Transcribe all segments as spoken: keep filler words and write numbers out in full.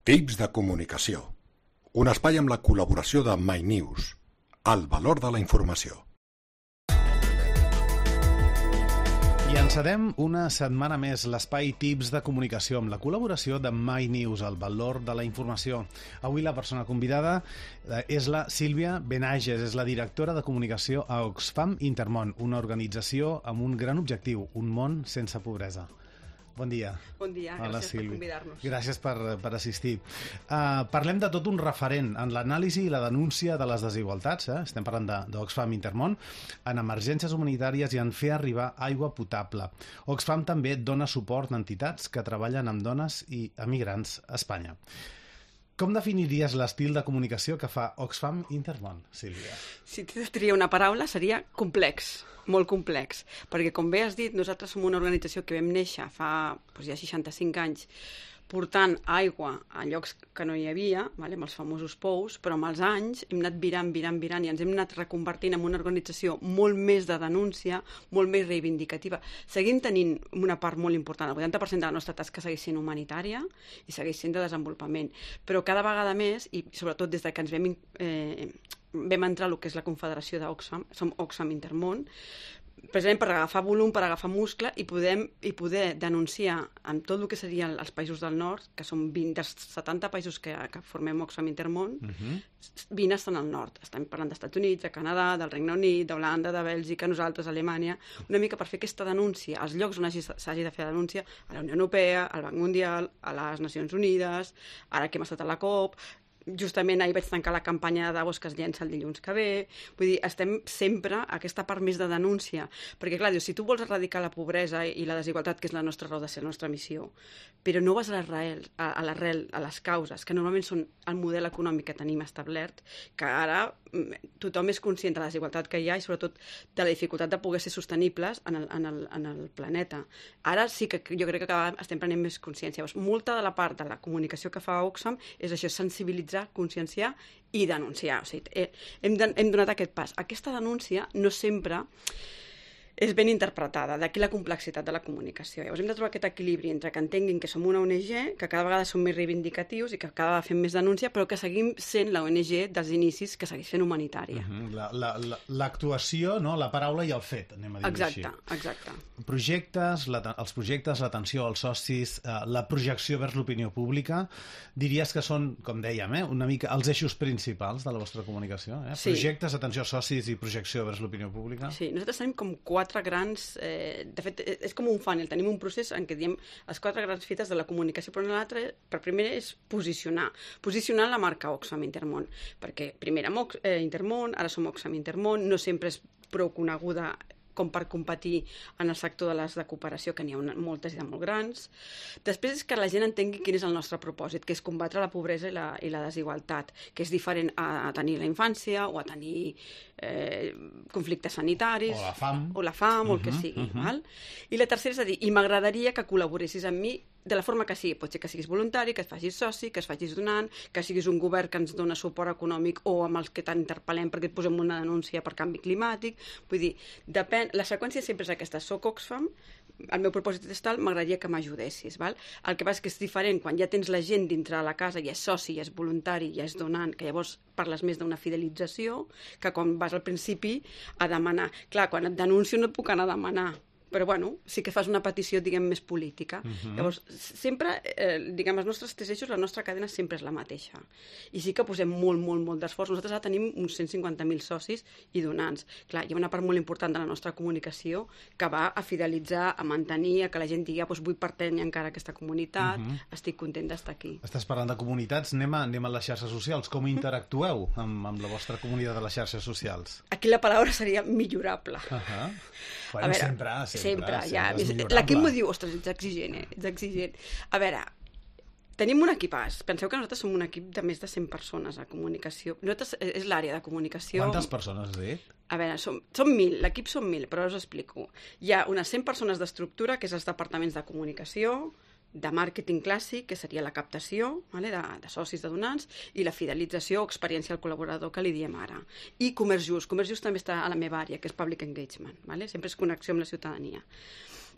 Tips de comunicació. Un espai amb la col·laboració de MyNews. El valor de la informació. I encedem una setmana més l'espai Tips de comunicació amb la col·laboració de MyNews, el valor de la informació. Avui la persona convidada és la Sílvia Benages, és la directora de comunicació a Oxfam Intermón, una organització amb un gran objectiu, un món sense pobresa. Bon dia. Bon dia, Hola, gràcies Sílvia. per convidar-nos. Gràcies per, per assistir. Uh, parlem de tot un referent en l'anàlisi i la denúncia de les desigualtats. Eh? Estem parlant d'Oxfam Intermón, en emergències humanitàries i en fer arribar aigua potable. Oxfam també dona suport a entitats que treballen amb dones i emigrants a Espanya. Com definiries l'estil de comunicació que fa Oxfam Intermón, Sílvia? Si t'he de triar una paraula, seria complex, molt complex, perquè com bé has dit, nosaltres som una organització que vam néixer fa doncs, ja seixanta-cinc anys portant aigua a llocs que no hi havia, vale, amb els famosos pous, però amb els anys hem anat virant, virant, virant i ens hem anat reconvertint en una organització molt més de denúncia, molt més reivindicativa. Seguim tenint una part molt important, el vuitanta per cent de la nostra tasca segueix sent humanitària i segueix sent de desenvolupament, però cada vegada més, i sobretot des de que ens vam, eh, vam entrar a el que és la confederació d'Oxfam, som Oxfam Intermón, precisament per agafar volum, per agafar muscle i, podem, i poder denunciar amb tot el que serien els països del nord, que són vint dels setanta països que, que formem Oxfam Intermón, uh-huh. vint estan al nord. Estem parlant d'Estats Units, de Canadà, del Regne Unit, d'Holanda, de Bèlgica, nosaltres, Alemanya, una mica per fer aquesta denúncia als llocs on s'hagi de fer la denúncia, a la Unió Europea, al Banc Mundial, a les Nacions Unides, ara que hem estat a la COP. Justament ahir vaig tancar la campanya de Davos que es llença el dilluns que ve. Vull dir, estem sempre a aquesta part més de denúncia. Perquè, clar, dius, si tu vols erradicar la pobresa i la desigualtat, que és la nostra raó de ser, la nostra missió, però no vas a l'arrel, a, a l'arrel, a les causes, que normalment són el model econòmic que tenim establert, que ara tothom és conscient de la desigualtat que hi ha i sobretot de la dificultat de poder ser sostenibles en el, en el, en el planeta. Ara sí que jo crec que cada vegada estem prenent més consciència. Llavors, molta de la part de la comunicació que fa Oxfam és això, sensibilitzar, conscienciar i denunciar. O sigui, hem, hem donat aquest pas. Aquesta denúncia no sempre és ben interpretada, d'aquí la complexitat de la comunicació. Llavors hem de trobar aquest equilibri entre que entenguin que som una O N G, que cada vegada som més reivindicatius i que cada vegada fem més denúncia, però que seguim sent la O N G dels inicis que segueix fent humanitària. Uh-huh. L'actuació, no? La paraula i el fet, anem a dir exacte, així. Exacte. Projectes, la, els projectes, l'atenció als socis, eh, la projecció vers l'opinió pública, diries que són, com dèiem, eh, una mica els eixos principals de la vostra comunicació? Eh? Sí. Projectes, atenció als socis i projecció vers l'opinió pública? Sí, nosaltres tenim com quatre quatre grans... Eh, de fet, és com un funnel. Tenim un procés en què diem les quatre grans fites de la comunicació, però l'altre, per primer, és posicionar. Posicionar la marca Oxfam Intermón. Perquè primer érem eh, Intermón, ara som Oxfam Intermón, no sempre és prou coneguda com per competir en el sector de les de cooperació, que n'hi ha una, moltes i de molt grans. Després és que la gent entengui quin és el nostre propòsit, que és combatre la pobresa i la, i la desigualtat, que és diferent a, a tenir la infància o a tenir eh, conflictes sanitaris. O la fam. O la fam, uh-huh, o el que sigui. Uh-huh. Val? I la tercera és a dir, i m'agradaria que col·laboressis amb mi de la forma que sigui. Pot ser que siguis voluntari, que et facis soci, que es facis donant, que siguis un govern que ens dona suport econòmic o amb els que t'interpel·lem perquè et posem una denúncia per canvi climàtic. Vull dir, depèn... La seqüència sempre és aquesta. Soc Oxfam, el meu propòsit és tal, m'agradaria que m'ajudessis. Val? El que passa és que és diferent quan ja tens la gent dintre de la casa, ja és soci, ja és voluntari, ja és donant, que llavors parles més d'una fidelització que quan vas al principi a demanar. Clar, quan et denuncio no et puc anar a demanar, però bueno, sí que fas una petició, diguem, més política. Uh-huh. Llavors, sempre, eh, diguem, els nostres tres eixos, la nostra cadena sempre és la mateixa. I sí que posem molt, molt, molt d'esforç. Nosaltres ara tenim uns cent cinquanta mil socis i donants. Clar, hi ha una part molt important de la nostra comunicació que va a fidelitzar, a mantenir, a que la gent digui, ah, doncs vull pertànyer encara a aquesta comunitat, uh-huh. estic content d'estar aquí. Estàs parlant de comunitats, anem a, anem a les xarxes socials. Com interactueu amb, amb la vostra comunitat de les xarxes socials? Aquí la paraula seria millorable. Uh-huh. Bueno, veure, sempre, sempre, sempre, sempre ja. és millorable. L'equip m'ho diu, ostres, ets exigent, eh? Ets exigent. A veure, tenim un equipàs. Penseu que nosaltres som un equip de més de cent persones a comunicació. Nosaltres és l'àrea de comunicació... Quantes persones has dit? A veure, som, som mil, l'equip som mil, però us explico. Hi ha unes cent persones d'estructura, que és els departaments de comunicació, de màrqueting clàssic, que seria la captació, vale, de, de socis, de donants, i la fidelització o experiència al col·laborador, que li diem ara. I comerç just. Comerç just també està a la meva àrea, que és public engagement. Vale? Sempre és connexió amb la ciutadania.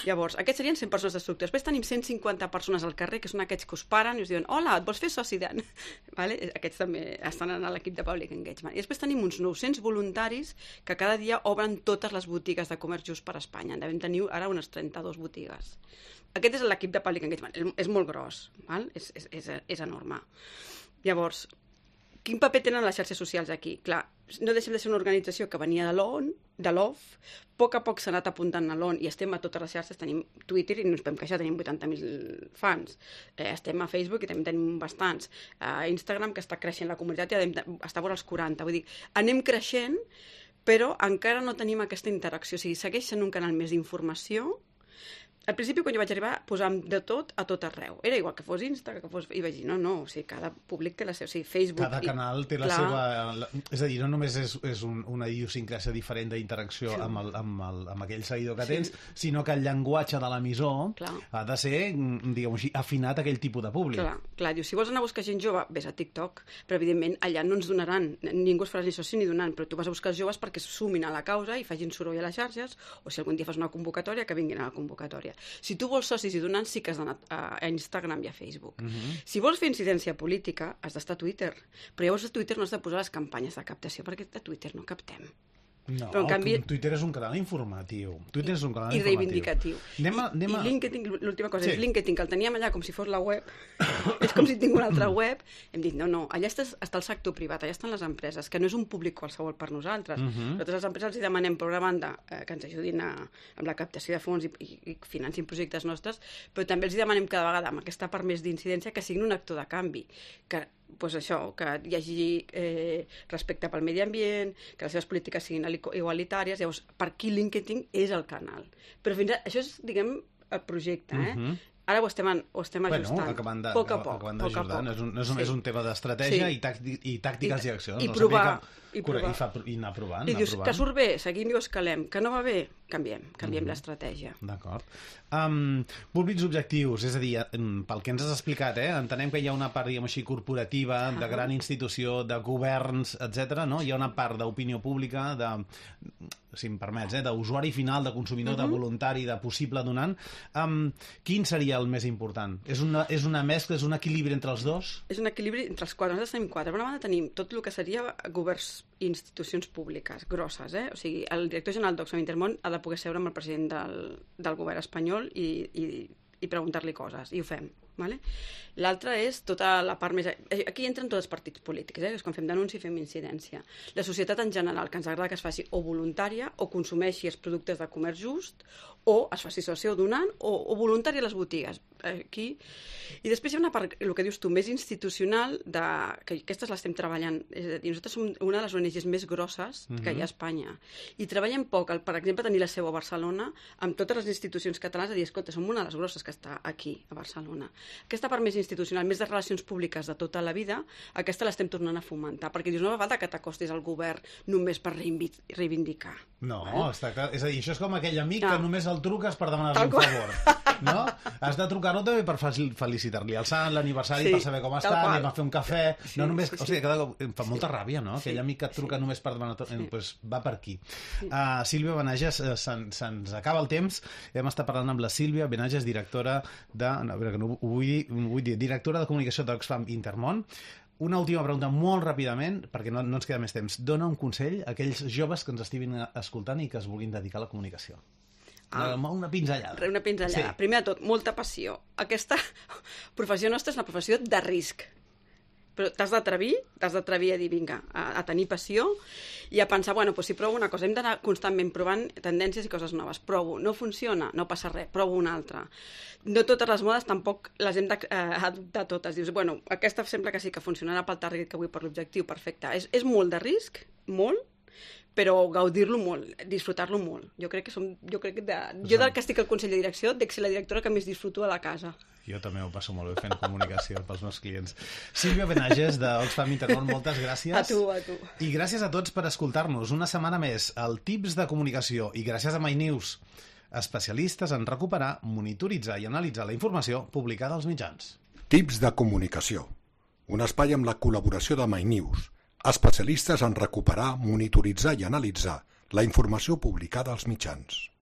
Llavors, aquests serien cent persones destructores. Després tenim cent cinquanta persones al carrer, que són aquests que us paren i us diuen hola, et vols fer soci d'en... Vale? Aquests també estan en l'equip de Public Engagement. I després tenim uns nou-cents voluntaris que cada dia obren totes les botigues de comerç just per Espanya. En devem tenir ara unes trenta-dues botigues. Aquest és l'equip de Public Engagement. És, és molt gros, val? És, és, és, és enorme. Llavors, quin paper tenen les xarxes socials aquí? Clar, no deixem de ser una organització que venia de l'O N, de l'O F, a poc a poc s'ha anat apuntant a l'O N i estem a totes les xarxes, tenim Twitter i no ens podem queixar, tenim vuitanta mil fans, eh, estem a Facebook i també tenim bastants, a Instagram que està creixent la comunitat i està vora els quaranta, vull dir, anem creixent però encara no tenim aquesta interacció, o sigui, segueix sent un canal més d'informació. Al principi, quan jo vaig arribar, posàvem de tot a tot arreu. Era igual que fos Insta, que fos... I vaig dir, no, no, o sigui, cada públic té la seva... O sigui, Facebook... Cada canal té la clar. seva... La... És a dir, no només és, és un, una idiosincràsia diferent d'interacció sí. amb, el, amb, el, amb aquell seguidor que sí. tens, sinó que el llenguatge de l'emissor clar. ha de ser, diguem així, afinat a aquell tipus de públic. Clar, clar, dius, si vols anar a buscar gent jove, vés a TikTok, però evidentment allà no ens donaran, ningú es farà ni soci ni donant, però tu vas a buscar els joves perquè sumin a la causa i facin soroll a les xarxes, o si algun dia fas una convocatòria, que vinguin a la convocatòria. Si tu vols socis i donants, sí que has d'anar a Instagram i a Facebook. Uh-huh. Si vols fer incidència política, has d'estar a Twitter. Però llavors a Twitter no has de posar les campanyes de captació, perquè a Twitter no captem. No, però en canvi... Twitter és un canal informatiu. Twitter és un canal I informatiu. reivindicatiu. Anem a, anem a... I LinkedIn, l'última cosa, sí. és LinkedIn, que el teníem allà com si fos la web. És com si tinc una altra web. Hem dit, no, no, allà està, està el sector privat, allà estan les empreses, que no és un públic qualsevol per nosaltres. Uh-huh. Nosaltres les empreses els demanem, per una banda, eh, que ens ajudin a, amb la captació de fons i, i, i financin projectes nostres, però també els demanem cada vegada, amb aquesta part més d'incidència, que siguin un actor de canvi, que pues això, que hi hagi eh, respecte pel medi ambient, que les seves polítiques siguin igualitàries, llavors per aquí LinkedIn és el canal. Però fins a, això és, diguem, el projecte, eh? Uh-huh. Ara ho estem, ho estem ajustant, bueno, acabant de, poc a poc. Acabant d'ajustar, és, un, és, un, sí. és un tema d'estratègia sí. i, tàctic, i tàctiques i, i accions. I, no? provar, que, i provar. I, fa, I anar provant. I anar dius, provant. que surt bé, seguim i ho escalem, que no va bé, canviem, canviem mm-hmm. l'estratègia. D'acord. Um, públics objectius, és a dir, pel que ens has explicat, eh, entenem que hi ha una part, diguem així, corporativa, uh-huh. de gran institució, de governs, etcètera. No? Hi ha una part d'opinió pública, de, si em permets, eh, d'usuari final, de consumidor, uh-huh. de voluntari, de possible donant. Um, quin seria el més important? És una, és una mescla, és un equilibri entre els dos? És un equilibri entre els quatre. Nosaltres tenim quatre. Per una banda tenim tot el que seria governs i institucions públiques grosses, eh? O sigui, el director general d'Oxfam Intermón ha de poder seure amb el president del, del govern espanyol i, i, i preguntar-li coses, i ho fem. Vale? L'altra és tota la part més... Aquí entren tots els partits polítics, eh? És quan fem denúncia i fem incidència. La societat en general, que ens agrada que es faci o voluntària o consumeixi els productes de comerç just o es faci soci o donant o, o voluntària a les botigues. Aquí. I després hi ha una part, el que dius tu, més institucional, de, que aquestes l'estem treballant. És a dir, nosaltres som una de les O N Ges més grosses que uh-huh. hi ha a Espanya. I treballem poc, el, per exemple, tenir la seu a Barcelona, amb totes les institucions catalanes, a dir, escolta, som una de les grosses que està aquí, a Barcelona. Aquesta part més institucional, més de relacions públiques de tota la vida, aquesta l'estem tornant a fomentar, perquè dius, no va falta que t'acostis al govern només per reivindicar. No, eh? està clar. És a dir, això és com aquell amic no. que només el truques per demanar-li un qual. favor. No? Has de trucar-lo també per felicitar-li el sant, l'aniversari, sí, per saber com està, anem a fer un cafè. Sí, no només... sí, sí. O sigui, cada... em fa molta ràbia, no? Aquell sí, amic que et truca sí. només per demanar... Sí. Pues va per aquí. Sí. Uh, Sílvia Benages, uh, se'ns se acaba el temps. Hem estat parlant amb la Sílvia Benages, directora de... No, no, ho vull dir, vull dir, directora de comunicació d'Oxfam Intermón. Una última pregunta molt ràpidament, perquè no, no ens queda més temps. Dona un consell a aquells joves que ens estiguin escoltant i que es vulguin dedicar a la comunicació. Ah, una pinzellada. Una pinzellada. Sí. Primer de tot, molta passió. Aquesta professió nostra és una professió de risc. Però t'has d'atrevir, t'has d'atrevir a dir, vinga, a, a tenir passió i a pensar, bueno, doncs si provo una cosa, hem d'anar constantment provant tendències i coses noves. Provo, no funciona, no passa res, provo una altra. No totes les modes tampoc les hem d'adoptar eh, totes. Dius, bueno, aquesta sembla que sí que funcionarà pel target que vull, per l'objectiu, perfecte. És, és molt de risc, molt, però gaudir-lo molt, disfrutar-lo molt. Jo crec que som... Jo, crec que de, jo del que estic al Consell de Direcció, dec ser la directora que més disfruto a la casa. Jo també ho passo molt bé fent comunicació pels meus clients. Sílvia Benages, d'Oxfam Intermón, moltes gràcies. A tu, a tu. I gràcies a tots per escoltar-nos. Una setmana més, al Tips de Comunicació. I gràcies a MyNews, especialistes en recuperar, monitoritzar i analitzar la informació publicada als mitjans. Tips de Comunicació. Un espai amb la col·laboració de MyNews, especialistes en recuperar, monitoritzar i analitzar la informació publicada als mitjans.